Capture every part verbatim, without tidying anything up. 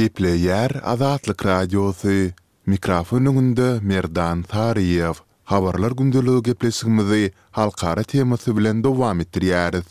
Gepleýär Azatlyk Radiosy, Mikrofon öňünde Merdan Saryýew. Habarlar gündeligi gepleşigimizi halkara temasy bilen dowam etdirýäris.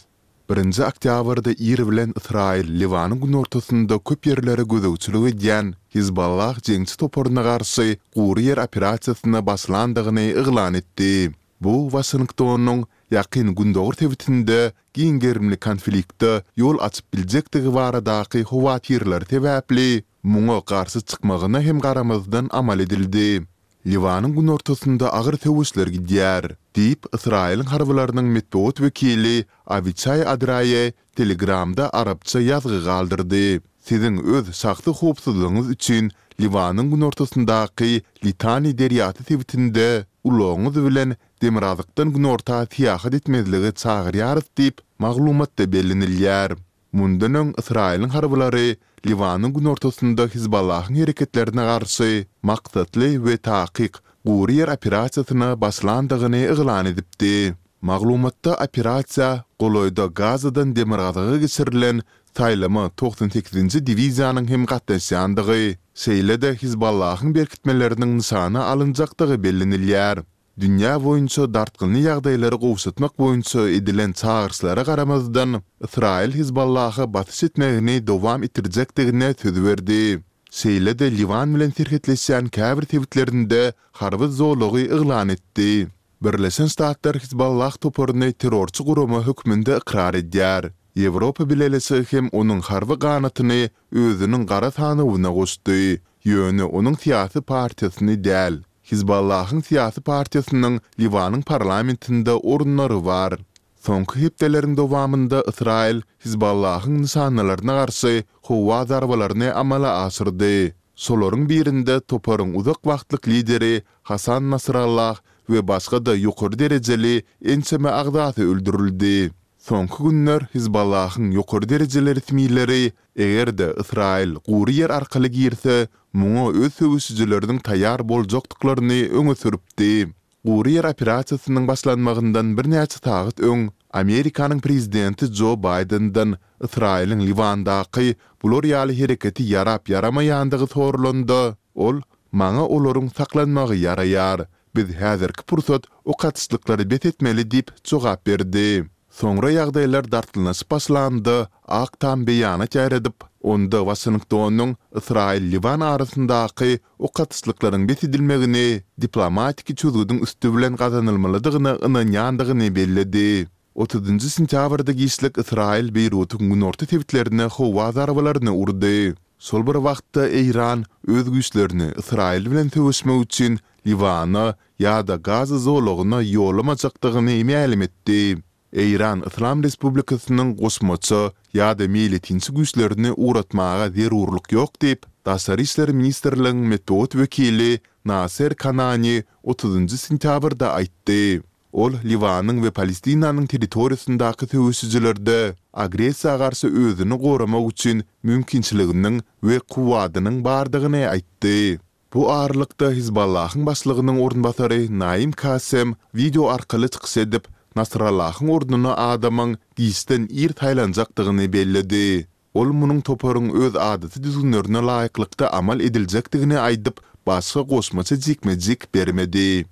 Birinji oktýabrda ir bilen Ysraýyl Liwanyň günortasynda köp ýerlere gözegçilik edýän Hizballah jeňçi toparyna garşy gury ýer operasiýasyna başlandygyny yglan etdi. Bu Waşingtonyň Ýakyn Gündogar sebitinde giň gerimli konflikte ýol açyp biljekdigi baradaky howatyrlary sebäpli muňa garşy çykmagyna hem garamazdan amal edildi. Liwanyň günortasynda agyr söweşler gidýär, diýip, Ysraýylyň harbylarynyň metbugat wekili Awiçaý Adraýe Telegramda arapça ýazgy galdyrdy. Siziň öz şahsy howpsuzlygyňyz üçin Liwanyň günortasyndaky Litani derýasy sebitinde ulagyňyz bilen demirgazykdan günorta syýahat etmezlige çagyrýarys diýip, maglumatda bellenilýär. Mundan öň Ysraýylyň harbylary Liwanyň günortasynda Hizballahyň hereketlerine garşy maksatly we takyk gury ýer operasiýasyna başlandygyny yglan edipdi. Maglumatda operasiýa golaýda Gazadan demirgazyga geçirilen saýlama togsan sekizinji diwiziýanyň hem gatnaşýandygy, şeýle-de Hizballahyň berkitmeleriniň nyşana alynjakdygy bellenilýär. Dünýä boýunça dartgynly ýagdaýlary gowşatmak boýunça edilen çagyryşlara garamazdan, Ysraýyl Hizballaha basyş etmegini dowam etdirjekdigine söz berdi. Şeýle-de Liwan bilen serhetleşýän käbir sebitlerinde harby zolagy yglan etdi. Birleşen Ştatlar Hizballah toparyny terrorçy gurama hökmünde ykrar edýär. Ýewropa Bileleşigi hem onuň harby ganatyny özüniň gara sanawyna goşdy, ýöne onuň syýasy partiýasyny däl. Hizballahyň syýasy partiýasynyň Liwanyň parlamentinde orunlary bar. Soňky hepdeleriň dowamynda Ysraýyl Hizballahyň nyşanalaryna garşy howa zarbalaryny amala aşyrdy. Şolaryň birinde toparyň uzak wagtlyk lideri Hasan Nasrallah we başga-da ýokary derejeli ençeme agzasy öldürildi. Soňky günler Hizballahyň ýokary derejeli resmileri eger-de Ysraýyl gury ýer arkaly girse, muňa öz söweşijileriniň taýýar boljakdyklaryny öňe sürüpdi. Gury ýer operasiýasynyň başlanmagyndan birnäçe sagat öň Amerikanyň prezidenti Jo Baýdenden Ysraýylyň Liwandaky bular ýaly hereketi ýarap-ýaramaýandygy soralanda, ol, Maňa olaryň saklanmagy ýaraýar. Biz häzirki pursat ok atyşlyklary bes etmeli diýip jogap berdi. Soňra ýagdaýlar dartgynlaşyp başlanda, Ak Tam beýanat ýaýradyp, onda Waşingtonyň Ysraýyl-Liwan arasyndaky ok atyşlyklaryň bes edilmegini diplomatiki çözgüdiň üsti bilen gazanylmalydygyna ynanýandygyny belledi. Otuzynjy sentýabrda giçlik Ysraýyl Beýrutyň günorta sebitlerine howa zarbalaryny urdy. Şol bir wagtda Eýran öz güýçlerini Ysraýyl bilen söweşmek üçin Liwana ýa-da Gaza zolagyna ýollamajakdygyny mälim etdi. Eýran Yslam Respublikasynyň goşmaça ýa-da meýletinçi güýçlerini ugratmaga zerurlyk ýok diýip, Daşary işler ministrligiň metbugat wekili Naser Kanani otuzynjy sentýabrda aýtdy. Ol Liwanyň we Palestinanyň territoriýasyndaky söweşijilerde agressiýa garşy özüni goramak üçin mümkinçiliginiň we kuwwadynyň bardygyny aýtdy. Bu aralykda, Hizballahyň başlygynyň orunbasary Naim Kassem wideo arkaly çykyş edip, Nasrallahyň ornuna adamyň giçden ir saýlanjakdygyny belledi. Ol munuň toparyň öz adaty düzgünlerine laýyklykda amal ediljekdigini aýdyp, başga goşmaça jikme-jik bermedi.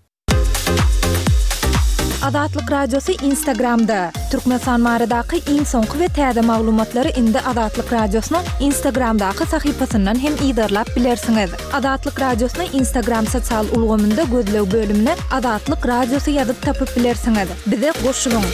Azatlyk Radiosy Instagramda! Türkmenistan baradaky iň soňky we täze maglumatlary indi Azatlyk Radiosynyň Instagramdaky sahypasyndan hem yzarlap bilersiňiz. Azatlyk Radiosyny Instagram sosial ulgamynda gözleg bölümine Azatlyk Radiosy ýazyp tapyp bilersiňiz. Bize goşulyň!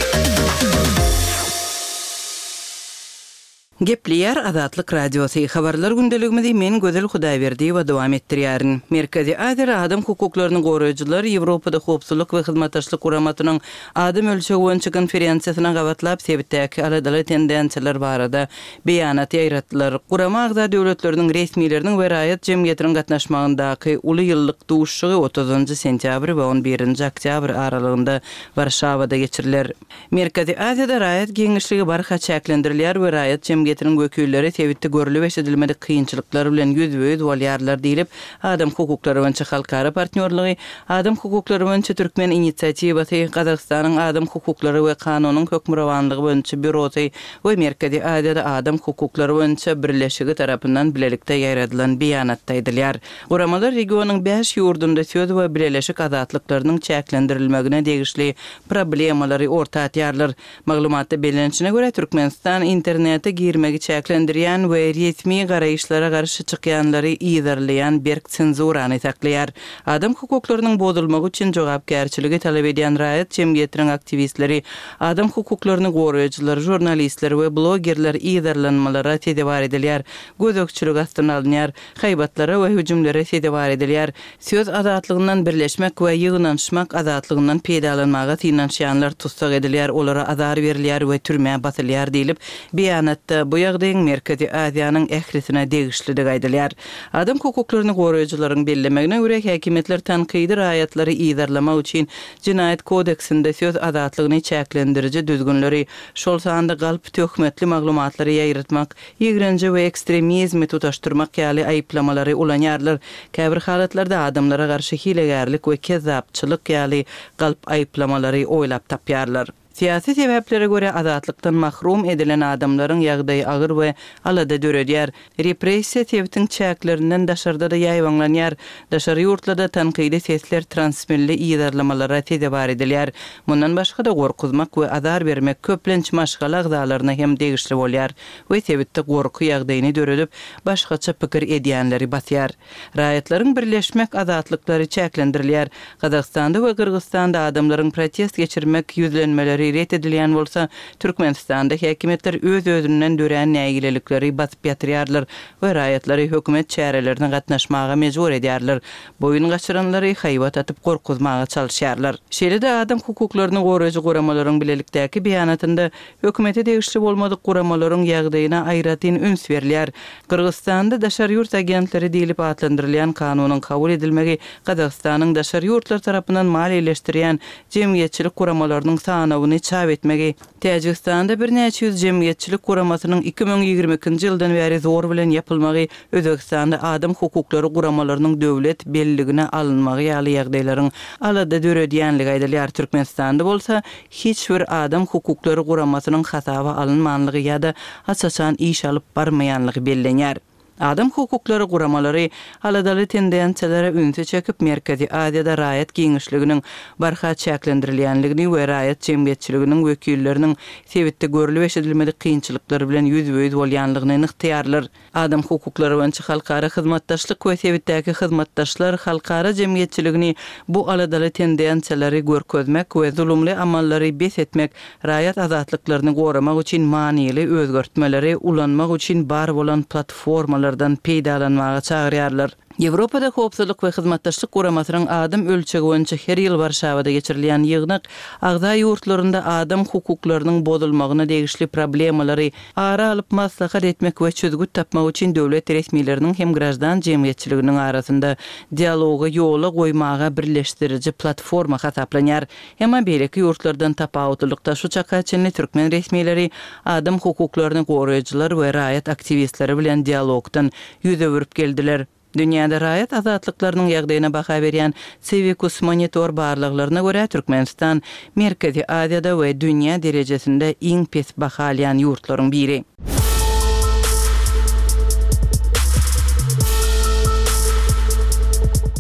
Gepleýär Azatlyk Radiosy, Habarlar gündeligimizi men Gözel Hudaýberdiýewa dowam etdirýärin. Merkezi Aziýaly adam hukuklaryny goraýjylar Ýewropada Howpsuzlyk we Hyzmatdaşlyk Guramasynyň Adam ölçegi boýunça konferensiýasyna gabatlap sebitdäki aladaly tendensiýalar barada beýanat ýaýratdylar. Gurama agza döwletleriniň resmileriniň we raýat jemgyýetiniň gatnaşmagyndaky uly ýyllyk duşuşygy otuzynjy sentýabr we on birinji oktýabr aralygynda Warşawada geçiriler. Merkezi Aziýada raýat giňişligi barha çäklendirilýär we raýat jemgyýetiniň jemgyýetiniň wekilleri sebitde görlüp-eşidilmedik kynçylyklar bilen ýüzbe-ýüz bolýarlar diýlip, Adam hukuklary boýunça halkara partnýorlygy, Adam hukuklary boýunça türkmen inisiatiwasy, Gazagystanyň Adam hukuklary we kanunyň hökmürowanlygy boýunça býurosy we Merkezi Aziýada Adam hukuklary boýunça birleşigi tarapyndan bilelikde ýaýradylan beýanatda aýdylýar. Guramalar regionyň bäş ýurdunda söz we bileleşik azatlyklarynyň çäklendirilmegine degişli problemalary orta atýarlar. Maglumatda bellenişine görä, Türkmenistan internete girmegi çäklendirýän we resmi garaýyşlara garşy çykýanlary yzarlaýan berk senzurany saklaýar. Adam hukuklarynyň bozulmagy üçin jogapkärçiligi talap edýän raýat jemgyýetiniň aktiwistleri, adam hukuklaryny goraýjylar, žurnalistler we blogerler yzarlanmalara sezewar edilýär, gözegçilik astyna alynýar, haýbatlara we hüjümlere sezewar edilýär, söz azatlygyndan, birleşmek we ýygnanyşmak azatlygyndan peýdalanmaga synanyşýanlar tussag edilýär, olara azar berilýär we türmä basylýar diýlip, beýanatda bu ýagdaýyň Merkezi Aziýanyň ählisine degişlidigi aýdylýar. Adam hukuklaryny goraýjylaryň bellemegine görä, häkimiýetler tankydy raýatlary yzarlamak üçin Jenaýat kodeksinde söz azatlygyny çäklendiriji düzgünleri, şol sanda galp töhmetli maglumatlary ýaýratmak, ýigrenji we ekstremizmi tutaşdyrmak ýaly aýyplamalary ulanýarlar. Käbir halatlarda adamlara garşy hilegärlik we kezzapçylyk ýaly galp aýyplamalary oýlap tapýarlar. Syýasy sebäplere görä azatlykdan mahrum edilen adamlaryň ýagdaýy agyr we alada döredýär. Repressiýa sebitiň çäklerinden daşarda-da ýaýbaňlanýar. Daşary ýurtlarda tankydy sesler transmilli yzarlamalara sezewar edilýär. Mundan başga-da gorkuzmak we azar bermek köplenç maşgala agzalaryna hem degişli bolýar we sebitde gorky ýagdaýyny döredip, başgaça pikir edýänleri basýar. Raýatlaryň birleşmek azatlyklary çäklendirilýär. Gazagystanda we Gyrgyzystanda adamlaryň protest geçirmek ýüzlenmeleri ret edilýän bolsa, Türkmenistanda häkimiýetler öz-özünden dörän nägilelikleri basyp ýatyrýarlar we raýatlary hökümet çärelerine gatnaşmaga mejbur edýärler, boýun gaçyranlary haýbat atyp gorkuzmaga çalyşýarlar. Şeýle-de adam hukuklaryny goraýjy guramalaryň bilelikdäki beýanatynda hökümete degişli bolmadyk guramalaryň ýagdaýyna aýratyn üns berilýär. Gyrgyzystanda daşary ýurt agentleri diýlip atlandyrylýan kanunyň kabul edilmegi Gazagystanyň daşary ýurtlar tarapyndan maliýeleşdirýän jemgyýetçilik guramalarynyň sanawyny çap etmegi, Täjigistanda birnäçe ýüz jemgyýetçilik guramasynyň iki müň ýigrimi ikinji ýyldan bäri zor bilen ýapylmagy, Özbegistanda adam hukuklary guramalarynyň döwlet belligine alynmagy ýaly ýagdaýlaryň alada döredýänligi aýdylýar. Türkmenistanda bolsa hiç bir adam hukuklary guramasynyň hasaba alynmanlygy ýa-da aç-açan iş alyp barmaýanlygy bellenýär. Adam hukuklary guramalary aladaly tendensiýalara ünsi çekip, Merkezi Aziýada raýat giňişliginiň barha çäklendirilýänligini we raýat jemgyýetçiliginiň wekilleriniň sebitde görlüp-eşidilmedik kynçylyklar bilen ýüzbe-ýüz bolýanlygyny nygtaýarlar. Adam hukuklary boýunça halkara hyzmatdaşlyk we sebitdäki hyzmatdaşlar halkara jemgyýetçiligini bu aladaly tendensiýalary görkezmek we zulumly amallary bes etmek, raýat azatlyklaryny goramak üçin manyly özgertmeleri ulanmak üçin bar bolan platformalardan peýdalanmaga çagyrýarlar. Ýewropada Howpsuzlyk we Hyzmatdaşlyk Guramasynyň adam ölçegi boýunça her ýyl Warşawada geçirilýän ýygnak agza ýurtlarynda adam hukuklarynyň bozulmagyna degişli problemalary ara alyp maslahat etmek we çözgüt tapmak üçin döwlet resmileriniň hem graždan jemgyýetçiliginiň arasynda dialogy ýola goýmaga birleşdiriji platforma hasaplanýar. Emma beýleki ýurtlardan tapawutlylykda şu çaka çenli türkmen resmileri adam hukuklaryny goraýjylar we raýat aktiwistleri bilen dialogdan ýüz öwürip geldiler. Dünýäde raýat azatlyklarynyň ýagdaýyna baha berýän Civicus Monitor barlaglaryna görä, Türkmenistan Merkezi Aziýada we dünýä derejesinde iň pes baha alýan ýurtlaryň biri.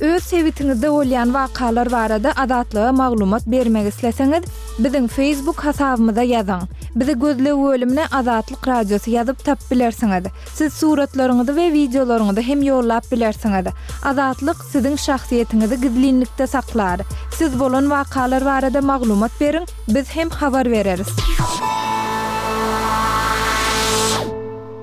Öz sebitiňizde bolýan wakalar barada Azatlyga maglumat bermek isleseňiz, biziň Facebook hasabymyza ýazyň. Bizi gözleg bölümine Azatlyk Radiosy ýazyp tapyp bilersiňiz. Siz suratlaryňyzy we wideolaryňyzy hem ýollap bilersiňiz. Azatlyk siziň şahsyýetiňizi gizlinlikde saklar. Siz bolan wakalar barada maglumat beriň, biz hem habar bereris.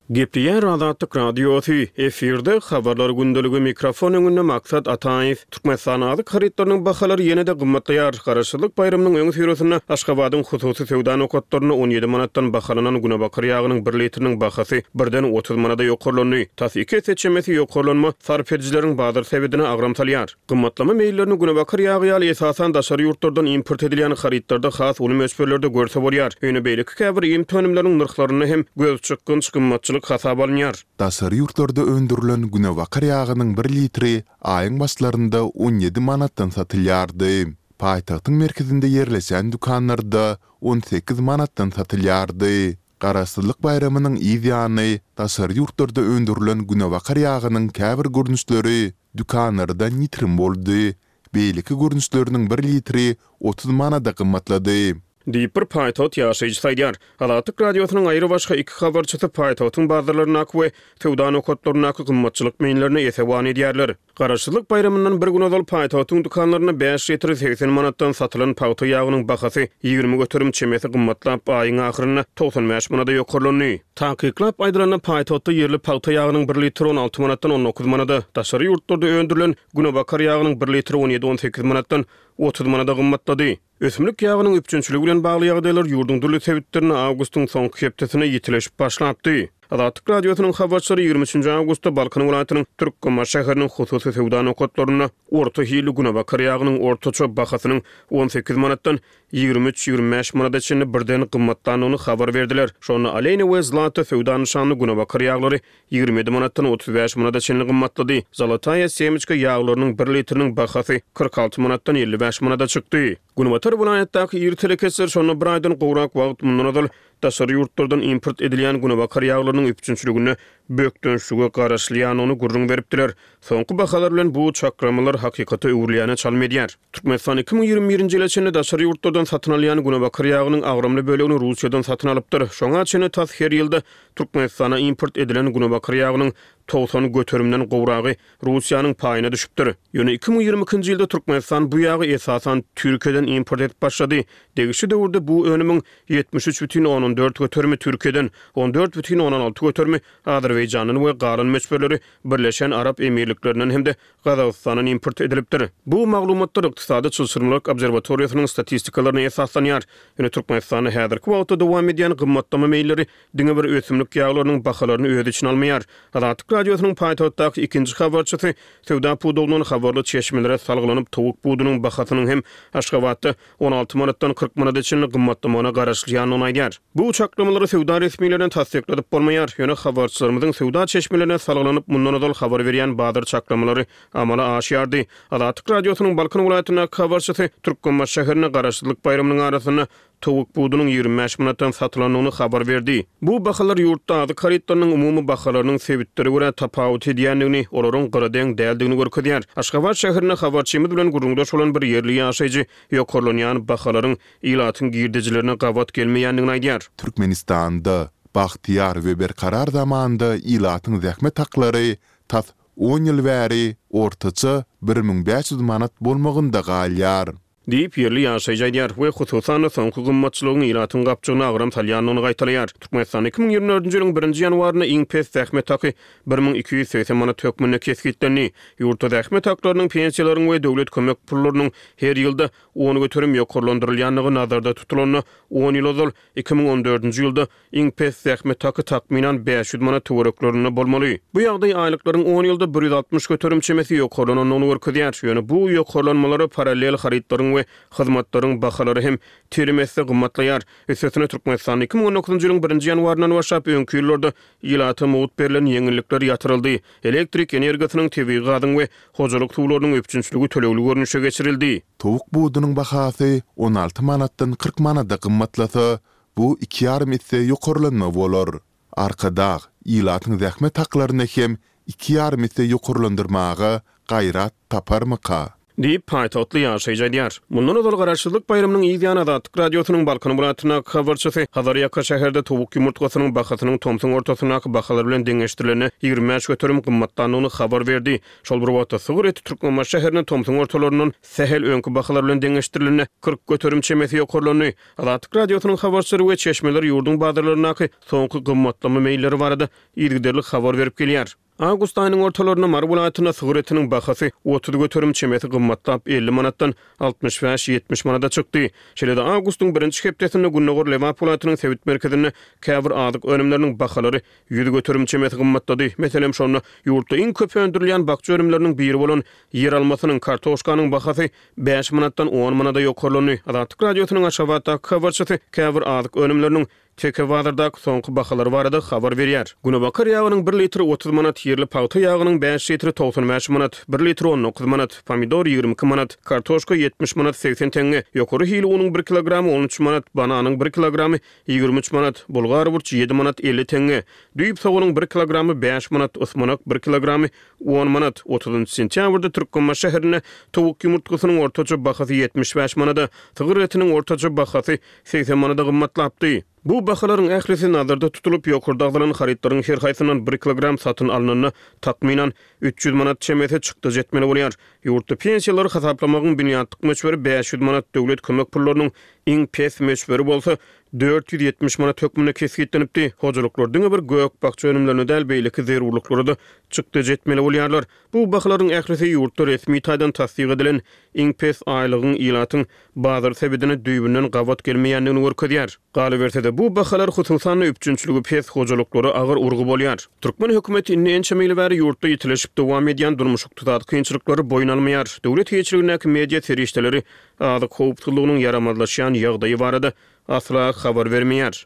Gepleýär Azatlyk Radiosy, efirde Habarlar gündeligi, mikrofon öňünde Maksat Ataýew. Türkmenistanda azyk harytlarynyň bahalary ýene-de gymmatlaýar. Garaşsyzlyk baýramynyň öňüsyrasynda Aşgabadyň hususy söwda nokatlarynda on ýedi manatdan bahalanan günebakar ýagynyň bir litriniň bahasy birden otuz manada ýokarlandy. Tas iki esse çemesi ýokarlanma sarp edijileriň bazar sebedine agram salýar. Gymmatlama meýillerini günebakar ýagy ýaly esasan daşary ýurtlardan import edilýän harytlarda has uly möçberlerde görse bolýar. Ýöne beýleki käbir iýmit önümleriniň nyrhlarynda hem gözçykgynç gymmatçylyk hasaba alynýar. Daşary ýurtlarda öndürilen günebakar ýagynyň bir litri aýyň başlarynda on ýedi manatdan satylýardy. Paýtagtyň merkezinde ýerleşen dükanlarda on sekiz manatdan satylýardy. Garaşsyzlyk baýramynyň yz ýany daşary ýurtlarda öndürilen günebakar ýagynyň käbir görnüşleri dükanlardan ýitirim boldy. Beýleki görnüşleriniň bir litri otuz manada gymmatlady. Diýip, bir paýtagt ýaşaýjysy aýdýar. Azatlyk Radiosynyň aýrybaşga iki habarçysy paýtagtyň bazarlaryndaky we söwda nokatlaryndaky gymmatçylyk meýillerini esewan edýärler. Garaşsyzlyk baýramyndan bir gün ozal paýtagtyň dükanlarynda bäş litri segsen manatdan satylan pagta ýagynyň bahasy ýigrimi göterim çemesi gymmatlap, aýyň ahyrynda togsan bäş manada ýokarlandy. Takyklap aýdylanda, paýtagtda ýerli pagta ýagynyň bir litri on alty manatdan on dokuz manada, daşary ýurtlarda öndürilen günebakar ýagynyň bir litri on ýedi-on sekiz manatdan otuz manada gymmatlady. Ösümlik ýagynyň üpjünçiligi bilen bagly ýagdaýlar ýurduň dürli sebitlerinde awgustyň soňky hepdesinde ýitileşip başlapdy. Azatlyk Radiosynyň habarçylary ýigrimi üçünji awgustda Balkan welaýatynyň Türkmenbaşy şäheriniň hususy söwda nokatlarynda orta hilli günebakar ýagynyň ortaça bahasynyň on sekiz manatdan ýigrimi üç-ýigrimi bäş manada çenli birden gymmatlandygyny habar berdiler. Şonda Alena we Zlata söwda nyşanly günebakar ýaglary ýigrimi ýedi manatdan otuz bäş manada çenli gymmatlady. Zolotaya semçka ýaglarynyň bir litriniň bahasy kyrk alty manatdan elli bäş manada çykdy. Günbatar welaýatdaky iri telekeçiler şonda bir aýdan gowrak wagt mundan ozal daşary ýurtlardan import edilýän günebakar ýaglarynyň üpjünçiliginde bökdençlige garaşylýandygyny gürrüň beripdiler. Soňky bahalar bilen bu çaklamalar hakykata öwrülýäne çalym edýär. Türkmenistan iki müň ýigrimi birinji ýyla çenli daşary ýurtlardan satyn alýan günebakar ýagynyň agramly bölegini Russiýadan satyn alypdyr. Şoňa çenli tas her ýylda Türkmenistana import edilen günebakar ýagynyň togsan göterimden gowragy Russiýanyň paýyna düşüpdir. Ýöne iki müň ýigrimi ikinji ýylda Türkmenistan bu ýagy esasan Türkiýeden import edip başlady. Degişli döwürde bu önümiň ýetmiş üç bütin ondan dört göterimi Türkiýeden, on dört bütin ondan alty göterimi Azerbaýjandan we galan möçberleri Birleşen Arap Emirliklerinden hem-de Gazagystandan import edilipdir. Bu maglumatlar Ykdysady Çylşyrymlylyk obserwatoriýasynyň statistikalaryna esaslanýar. Ýöne Türkmenistanda häzirki wagtda dowam edýän gymmatlama meýilleri diňe bir ösümlik ýaglarynyň bahalaryny öz içine almaýar. Azatlyk Radiosynyň paýtagtdaky ikinji habarçysy söwda pudagyndan habarly çeşmelere salgylanyp, towuk budunyň bahasynyň hem Aşgabatda on alty manatdan kyrk manada çenli gymmatlamagyna garaşylýandygyny aýdýar. Bu çaklamalary söwda resmilerine tassykladyp bolmaýar. Ýöne habarçylarymyzyň söwda çeşmelerine salgylanyp, mundan ozal habar berýän bazar çaklamalary amala aşýardy. Azatlyk Radiosynyň Balkan welaýatyndaky habarçysy Türkmenbaşy şäherinde Garaşsyzlyk baýramynyň arasynda towuk budunyň ýigrimi bäş manatdan satylandygyny habar berdi. Bu bahalar ýurtda azyk harytlarynyň umumy bahalarynyň sebitlere görä tapawut edýändigini, olaryň gyradeň däldigini görkezýär. Aşgabat şäherinde habarçymyz bilen gürrüňdeş bolan bir ýerli ýaşaýjy ýokarlanýan bahalaryň ilatyň girdejilerine gabat gelmeýändigini aýdýar. Türkmenistanda bagtyýar we berkarar zamanda ilatyň zähmet haklary tas on ýyl bäri ortaça bir müň bäş ýüz manat bolmagynda galýar. Diýip, ýerli ýaşaýjy aýdýar we hususan-da soňky gymmatçylygyň ilatyň gapjygyna agram salýandygyny gaýtalaýar. Türkmenistan iki müň ýigrimi dördünji ýylyň birinji ýanwarynda iň pes zähmet haky bir müň iki ýüz segsen manat hökmünde kesgitlendi. Ýurtda zähmet haklarynyň, pensiýalaryň we döwlet kömek pullarynyň her ýylda on göterim ýokarlandyrylýandygy nazarda tutulanda, on ýyl ozal iki müň on dördünji ýylda iň pes zähmet haky takmynan bäş ýüz manat töwereklerinde bolmaly. Bu ýagdaý aýlyklaryň on ýylda bir ýüz altmyş göterim çemesi ýokarlanandygyny görkezýär. Ýöne bu ýokarlanmalara parallel harytlaryň we hyzmatlaryň bahalary hem telim esse gymmatlaýar. Üstesine Türkmenistanda iki müň on dokuzynjy ýylyň birinji ýanwaryndan başlap öňki ýyllarda ilata mugt berlen ýeňillikler ýatyryldy. Elektrik energiýasynyň, tebigy gazyň we hojalyk suwlarynyň üpjünçiligi tölegli görnüşe geçirildi. Towuk budunyň bahasy on alty manatdan kyrk manada gymmatlasa, bu iki ýarym esse ýokarlanma bolar. Arkadag ilatyň zähmet haklaryny hem iki ýarym esse ýokarlandyrmaga gaýrat taparmyka? Diýip, paýtagtly ýaşaýjy aýdýar. Mundan ozal Garaşsyzlyk baýramynyň yz ýany Azatlyk Radiosynyň Balkan welaýatyndaky habarçysy Hazarýaka şäherde towuk ýumurtgasynyň bahasynyň tomsuň ortasyndaky bahalar bilen deňeşdirilende ýigrimi bäş göterim gymmatlandygyny habar berdi. Şol bir wagtda, sygyr eti Türkmenbaşy şäherinde tomsuň ortalaryndan sähel öňki bahalar bilen deňeşdirilende kyrk göterim çemesi ýokarlandy. Azatlyk Radiosynyň habarçylary we çeşmeleri ýurduň bazarlaryndaky soňky gymmatlama meýilleri barada yzygiderli habar berip gelýär. Awgust aýynyň ortalarynda Mary welaýatynda sygyr etiniň bahasy otuz göterim çemesi gymmatlap, elli manatdan altmyş bäş-ýetmiş manada çykdy. Şeýle-de, awgustyň birinji hepdesinde gündogar Lebap welaýatynyň sebit merkezinde käbir azyk önümleriniň bahalary ýüz göterim çemesi gymmatlady. Meselem, şonda ýurtda iň köp öndürilýän bakja önümleriniň biri bolan ýeralmasynyň, kartoşkanyň bahasy bäş manatdan on manada ýokarlandy. Azatlyk Radiosynyň Aşgabatdaky habarçysy käbir azyk önümleriniň Teke bazardaky soňky bahalar barada habar berýär. Günebakar ýagynyň bir litri otuz manat, ýerli pagta ýagynyň bäş litri togsan bäş manat, bir litri on dokuz manat, pomidor ýigrimi iki manat, kartoşka ýetmiş manat segsen teňňe, ýokary hili unuň bir kilogramy on üç manat, bananyň bir kilogramy ýigrimi üç manat, bulgar burçy ýedi manat elli teňňe, düýp soganyň bir kilogramy bäş manat, ysmanak bir kilogramy on manat. Otuzynjy sentýabrda Türkmenbaşy şäherinde towuk ýumurtgasynyň ortaça bahasy ýetmiş bäş manada, sygyr etiniň ortaça bahasy segsen manada gymmatlapdy. Bu bahalaryň ählisi nazarda tutulyp, ýokarda agzalan harytlaryň her haýsyndan bir kilogram satyn alnanda, takmynan, üç ýüz manat çemesi çykdajy etmeli bolýar. Ýurtda pensiýalary hasaplamagyň binýatlyk möçberi bäş ýüz manat, döwlet kömek pullarynyň iň pes möçberi bolsa dört ýüz ýetmiş manat hökmünde kesgitlenipdi. Hojalyklar diňe bir gök-bakja önümlerine däl, beýleki zerurlyklara-da çykdajy etmeli bolýarlar. Bu bahalaryň ählisi ýurtda resmi taýdan tassyk edilen iň pes aýlygyň ilatyň bazar sebedine düýbünden gabat gelmeýändigini görkezýär. Galyberse-de, bu bahalar, hususan-da, üpjünçiligi pes hojalyklara agyr urgy bolýar. Türkmen hökümeti indi ençeme ýyl bäri ýurtda ýitileşip dowam edýän durmuş-ykdysady kynçylyklary boýun almaýar. Döwlet eýeçiligindäki media serişdeleri azyk howpsuzlygynyň ýaramazlaşýan ýagdaýy barada asla habar bermeýär.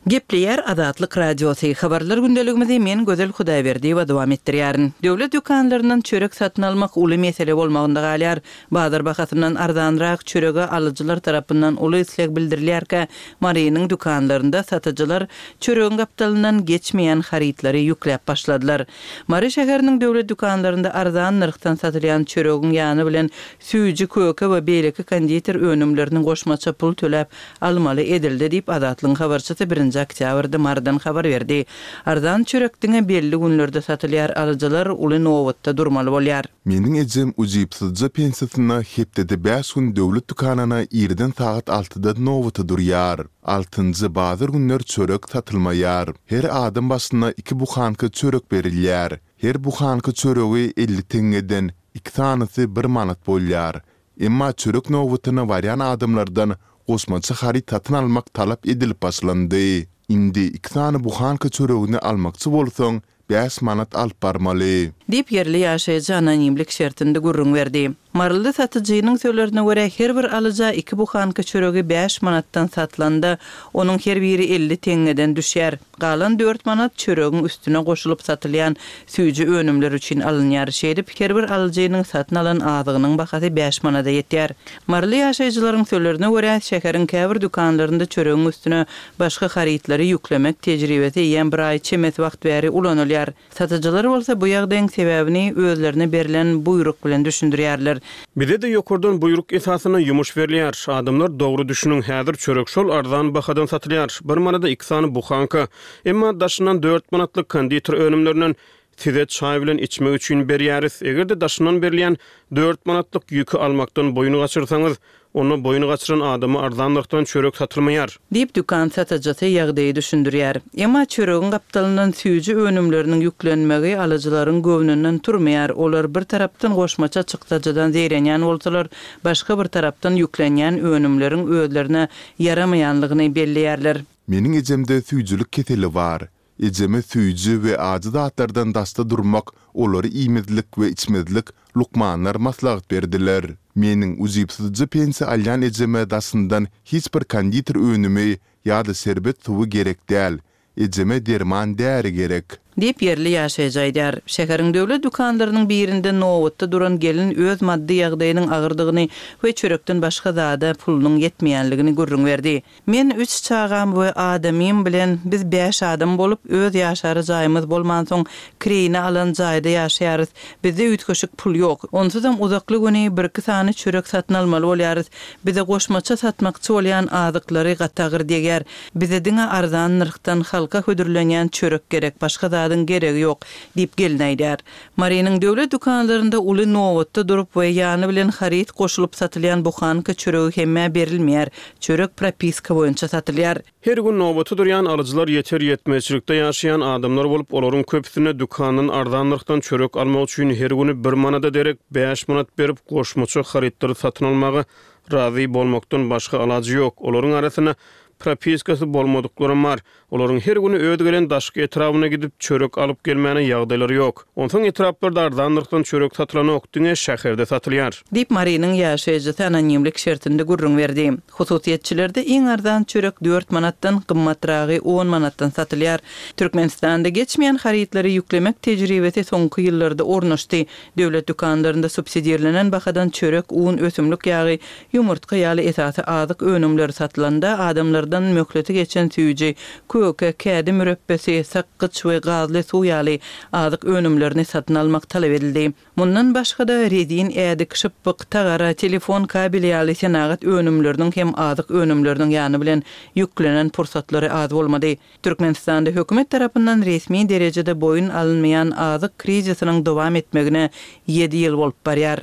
Gepleýär Azatlyk Radiosy, Habarlar gündeligimizi men Gözel Hudaýberdiýewa dowam etdirýärin. Döwlet dükanlaryndan çörek satyn almak uly mesele bolmagynda galýar. Bazar bahasyndan arzanrak çörege alyjylar tarapyndan uly isleg bildirilýärkä, Marynyň dükanlarynda satyjylar çöregiň gapdalyndan geçmeýän harytlary ýükläp başladylar. Mary şäheriniň döwlet dükanlarynda arzan nyrhdan satylýan çöregiň ýany bilen süýji, köke we beýleki konditer önümlerini goşmaça pul töläp almaly edildi diýip, Azatlygyň habarçysy birinji oktýabrda Marydan habar berdi. Arzan çörek diňe belli günlerde satylýar, alyjylar uly nobatda durmaly bolýar. Meniň ejem ujypsyzja pensiýasyna hepdede bäş gün döwlet dükanyna irden sagat altyda nobata durýar. Altynjy bazar günler çörek satylmaýar. Her adam başyna iki buhanka çörek berilýär. Her buhanka çöregi elli teňňeden, iki sanysy bir manat bolýar. Emma çörek nobatyna barýan adamlardan goşmaça haryt satyn almak talap edilip başlandy. Indi iki sany buhanka çöregini almakçy bolsaň, bäş manat alyp barmaly. Diýip, ýerli ýaşaýjy anonimlik şertinde gürrüň berdi. Maryly satyjynyň sözlerine görä, her bir alyja iki buhanka çöregi bäş manatdan satylanda, onuň her biri elli teňňeden düşýär. Galan dört manat çöregiň üstüne goşulyp satylýan süýji önümler üçin alynýar. Şeýdip, her bir alyjynyň satyn alan azygynyň bahasy bäş manada ýetýär. Maryly ýaşaýjylaryň sözlerine görä, şäheriň käbir dükanlarynda çöregiň üstüne başga harytlary ýüklemek tejribesi eýýäm bir aý çemesi wagt bäri ulanylýar. Satyjylar bolsa bu ýagdaýyň sebäbini özlerine berlen buýruk bilen düşündirýärler. Bize-de ýokardan buýruk esasynda ýumuş berilýär. Adamlar dogry düşüniň, häzir çörek şol arzan bahadan satylýar, bir manada iki sany buhanka. Emma daşyndan dört manatlyk konditer önümlerinden size çaý bilen içmek üçin berýäris. Eger-de daşyndan berilýän dört manatlyk ýüki almakdan boýun gaçyrsaňyz, onda boýun gaçyran adama arzan nyrhdan çörek satylmaýar. Diýip, dükan satyjysy ýagdaýy düşündirýär. Emma çöregiň gapdalyndan süýji önümleriniň ýüklenmegi alyjylaryň göwnünden turmaýar. Olar bir tarapdan goşmaça çykdajydan zeýrenýän bolsalar, başga bir tarapdan ýüklenýän önümleriň özlerine ýaramaýanlygyny belleýärler. Meniň ejemde süýjülik keseli bar. Ejeme süýji we ajy zatlardan daşda durmak, olary iýmezlik we içmezlik lukmanlar maslahat berdiler. Meniň ujypsyzja pensiýa alýan ejeme daşyndan hiç bir konditer önümi ýa-da şerbet suwy gerek däl. Ejeme derman-däri gerek. Diýip, ýerli ýaşaýjy aýdýar. Şäheriň döwlet dükanlarynyň birinde nobatda duran gelin öz maddy ýagdaýynyň agyrdygyny we çörekden başga zada pulunyň ýetmeýänligini gürrüň berdi. Men üç çagam we adamym bilen, biz bäş adam bolup, öz ýaşara jaýymyz bolmansoň, kireýine alan jaýda ýaşaýarys. Bizde üýtgeşik pul ýok. Onsuzam uzakly güni birki sany çörek satyn almaly bolýarys. Bize goşmaça satmakçy bolýan azyklary gaty agyr degýär. Bize diňe arzan nyrhdan halka hödürlenýän çörek gerek, başga zadyň geregi ýok, diýip, gelin aýdýar. Marynyň döwlet dükanlarynda uly nobatda durup we ýany bilen haryt goşulyp satylýan buhanka çöregi hemmä berilmeýär. Çörek propiska boýunça satylýar. Her gün nobata durýan alyjylar ýeter-ýetmezçilikde ýaşaýan adamlar bolup, olaryň köpüsine dükandan arzan nyrhdan çörek almak üçin her güni bir manada derek bäş manat berip, goşmaça harytlary satyn almaga razy bolmakdan başga alajy ýok. Olaryň arasynda propiskasy bolmadyklaram bar. Olaryň her güni öz gelen daşky etrabyna gidip, çörek alyp gelmäne ýagdaýlary ýok. Onsoň etraplarda arzan nyrhdan çörek satylanok, diňe şäherde satylýar. Diýip, Marynyň ýaşaýjysy anonimlik şertinde gürrüň berdi. Hususyýetçilerde iň arzan çörek dört manatdan, gymmatragy on manatdan satylýar. Türkmenistanda geçmeýän harytlary ýüklemek tejribesi soňky ýyllarda ornaşdy. Döwlet dükanlarynda subsidirlenen bahadan çörek, un, ösümlik ýagy, ýumurtga ýaly esasy azyk önümleri satylanda, adamlardan möhleti geçen süýji, köke, kädi mürepbesi, sakgyç we gazly suw ýaly azyk önümlerini satyn almak talap edildi. Mundan başga-da, rezin ädik, şypbyk, tagara, telefon kabeli ýaly senagat önümleriniň hem azyk önümleriniň ýany bilen ýüklenen pursatlary az bolmady. Türkmenistanda hökümet tarapyndan resmi derejede boýun alynmaýan azyk krizisiniň dowam etmegine ýedi ýyl bolup barýar.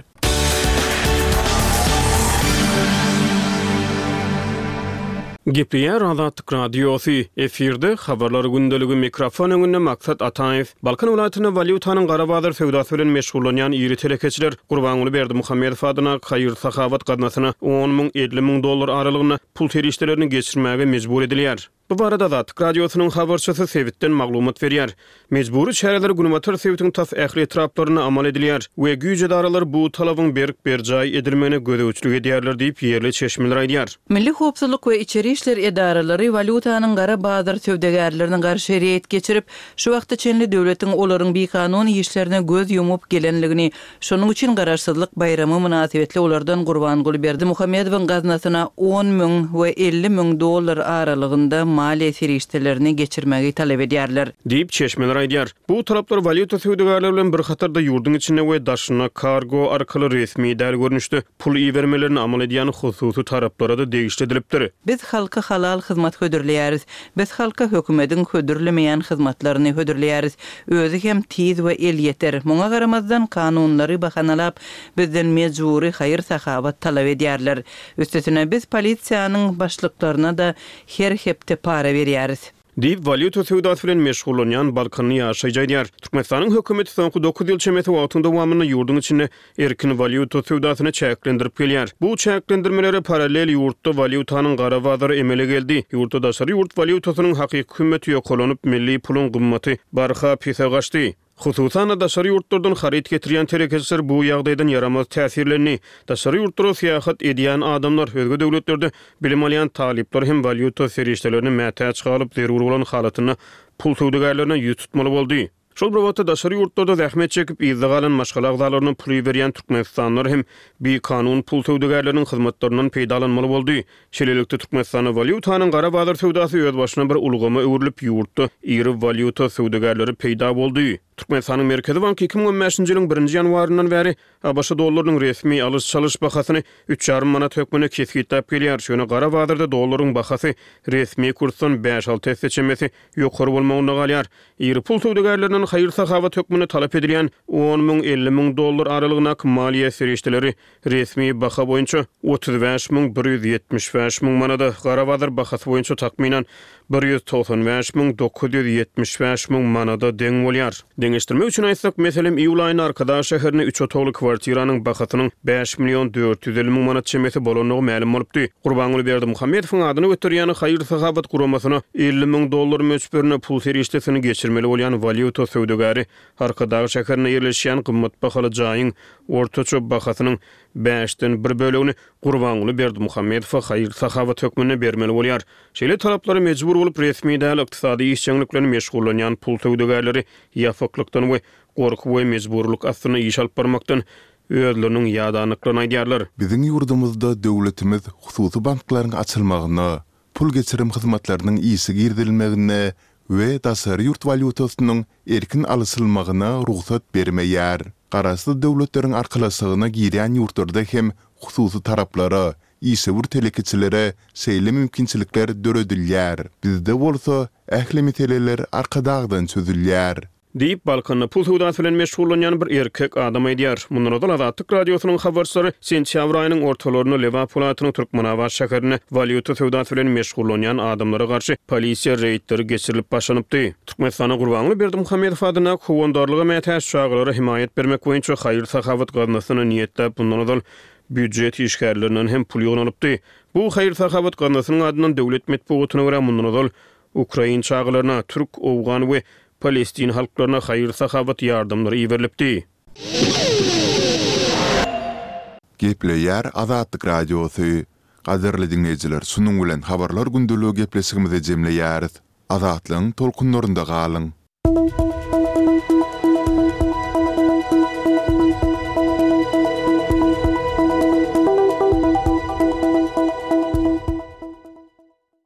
Gepleýär Azatlyk Radiosy, efirde Habarlar gündeligi, mikrofon öňünde Maksat Ataýew. Balkan welaýatynda walýutanyň gara bazar söwdasy bilen meşgullanýan iri telekeçiler Gurbanguly Berdimuhamedow adyna haýyr-sahawat gaznasyna on müň, elli müň dollar aralygynda pul serişdelerini geçirmäge mejbur edilýär. Bu barada Azatlyk Radiosynyň habarçysy sebitden maglumat berýär. Mejbury çäreler günbatar sebitiň tas ähli etraplarynda amal edilýär we güýç edaralary bu talabyň berk berjaý edilmegine gözegçilik edýärler diýip, ýerli çeşmeler aýdýar. Milli howpsuzlyk we içeri işler edaralary walýutanyň gara bazar söwdagärlerine garşy reýd geçirip, şu wagta çenli döwletiň olaryň bikanun işlerine göz ýumup gelenligini, şonuň üçin Garaşsyzlyk baýramy mynasybetli olardan Gurbanguly Berdimuhamedowyň gaznasyna on müň we elli müň dollar aralygynda maliýe serişdelerini geçirmegi talap edýärler. Diýip, çeşmeler aýdýar. Bu talaplar walýuta söwdagärleri bilen bir hatarda ýurduň içinde we daşynda kargo arkaly resmi däl görnüşde pul ibermelerini amal edýän hususy taraplara-da degişli edilipdir. Biz halka halal hyzmat hödürleýäris. Biz halka hökümediň hödürlemeýän hyzmatlaryny hödürleýäris. Özi hem tiz we elýeter. Muňa garamazdan, kanunlary bahanalap, bizden mejbury haýyr-sahawat talap edýärler. Üstesine, biz polisiýanyň başlyklaryna-da her hepde para berýäris. Diýip, walýuta söwdasy bilen meşgullanýan balkanly ýaşaýjy aýdýar. Türkmenistanyň hökümeti soňky dokuz ýyl çemesi wagtyň dowamynda ýurduň içinde erkin walýuta söwdasyny çäklendirip gelýär. Bu çäklendirmelere parallel ýurtda walýutanyň gara bazary emele geldi. Ýurtda daşary ýurt walýutasynyň hakyky hümmeti ýokarlanyp, milli puluň gymmaty barha pese gaçdy. Hususan-da, daşary ýurtlardan haryt getirýän telekeçiler bu ýagdaýdan ýaramaz täsirlendi. Daşary ýurtlara syýahat edýän adamlar, özge döwletlerde bilim alýan talyplar hem walýuta serişdelerine mätäç galyp, zerur bolan halatynda pul söwdagärlerine ýüz tutmaly boldy. Şol bir wagtda, daşary ýurtlarda zähmet çekip, yzda galan maşgala agzalaryna pul iberýän türkmenistanlylar hem bikanun pul söwdagärleriniň hyzmatlaryndan peýdalanmaly boldy. Şeýlelikde, Türkmenistanda walýutanyň gara bazar söwdasy özbaşyna bir ulgama öwrülip, ýurtda iri walýuta söwdagärleri peýda boldy. Türkmenistanyň Merkezi banky iki müň on bäşinji ýylyň birinji ýanwaryndan bäri ABŞ dollarynyň resmi alyş-çalyş bahasyny üç ýarym manat hökmünde kesgitläp gelýär. Ýöne gara bazarda dollaryň bahasy resmi kursdan bäş-alty esse çemesi ýokary bolmagynda galýar. Iri pul söwdagärlerinden haýyr-sahawat hökmünde talap edilýän on müň, elli müň dollar aralygyndaky maliýe serişdeleri resmi baha boýunça otuz bäş müň bir ýüz ýetmiş bäş müň manada, gara bazar bahasy boýunça takmynan bir ýüz togsan bäş müň dokuz ýüz ýetmiş bäş müň manada deň bolýar. Deňeşdirmek üçin aýtsak, meselem, iýul aýynda Arkadag şäherinde üç otagly kwartiranyň bahasynyň bäş million dört ýüz elli müň manat çemesi bolandygy mälim bolupdy. Gurbanguly Berdimuhamedowyň adyny göterýän haýyr-sahawat guramasyna elli müň dollar möçberinde pul serişdesini geçirmeli bolýan walýuta söwdagäri Arkadag şäherinde ýerleşýän gymmat bahaly jaýyň ortaça bahasynyň bäşden bir bölegini Gurbanguly Berdimuhamedowa haýyr-sahawat hökmünde bermeli bolýar. Şeýle talaplara mejbur bolup, resmi däl ykdysady işjeňlik bilen meşgullanýan pul söwdagärleri ýapyklykdan we gorky we mejburylyk astynda iş alyp barmakdan özleriniň ýadandyklaryny aýdýarlar. Biziň ýurdumyzda döwletimiz hususy banklaryň açylmagyna, pul geçirim hyzmatlarynyň işe girizilmegine we daşary ýurt walýutasynyň erkin alyşylmagyna rugsat bermeýär. Garaşsyz Döwletleriň Arkalaşygyna girýän ýurtlarda hem hususy taraplara, işewür telekeçilere şeýle mümkinçilikler döredilýär. Bizde bolsa ähli meseleler Arkadagdan çözülýär. Diýip, Balkanda pul söwdasy bilen meşgullanýan bir erkek adam aýdýar. Mundan ozal Azatlyk Radiosynyň habarçylary sentýabr aýynyň ortalarynda Lebap welaýatynyň Türkmenabat şäherinde walýuta söwdasy bilen meşgullanýan adamlara garşy polisiýa reýdleri geçirilip başlanypdy. Türkmenistanda Gurbanguly Berdimuhamedow adyndaky Howandarlyga mätäç çagalara hemaýat bermek boýunça haýyr-sahawat gaznasyna niýetläp mundan ozal býujet işgärlerinden hem pul ýygnalypdy. Bu haýyr-sahawat gaznasynyň adyndan döwlet metbugatyna görä mundan ozal ukrain çagalaryna, türk, owgan we palestin halklaryna haýyr-sahawat ýardamlary iberilipdi. Gepleýär Azatlyk Radiosy. Gadyrly diňleýjiler, şunuň bilen Habarlar gündeligi gepleşigimizi jemleýäris. Azatlygyň tolkunlarynda galyň!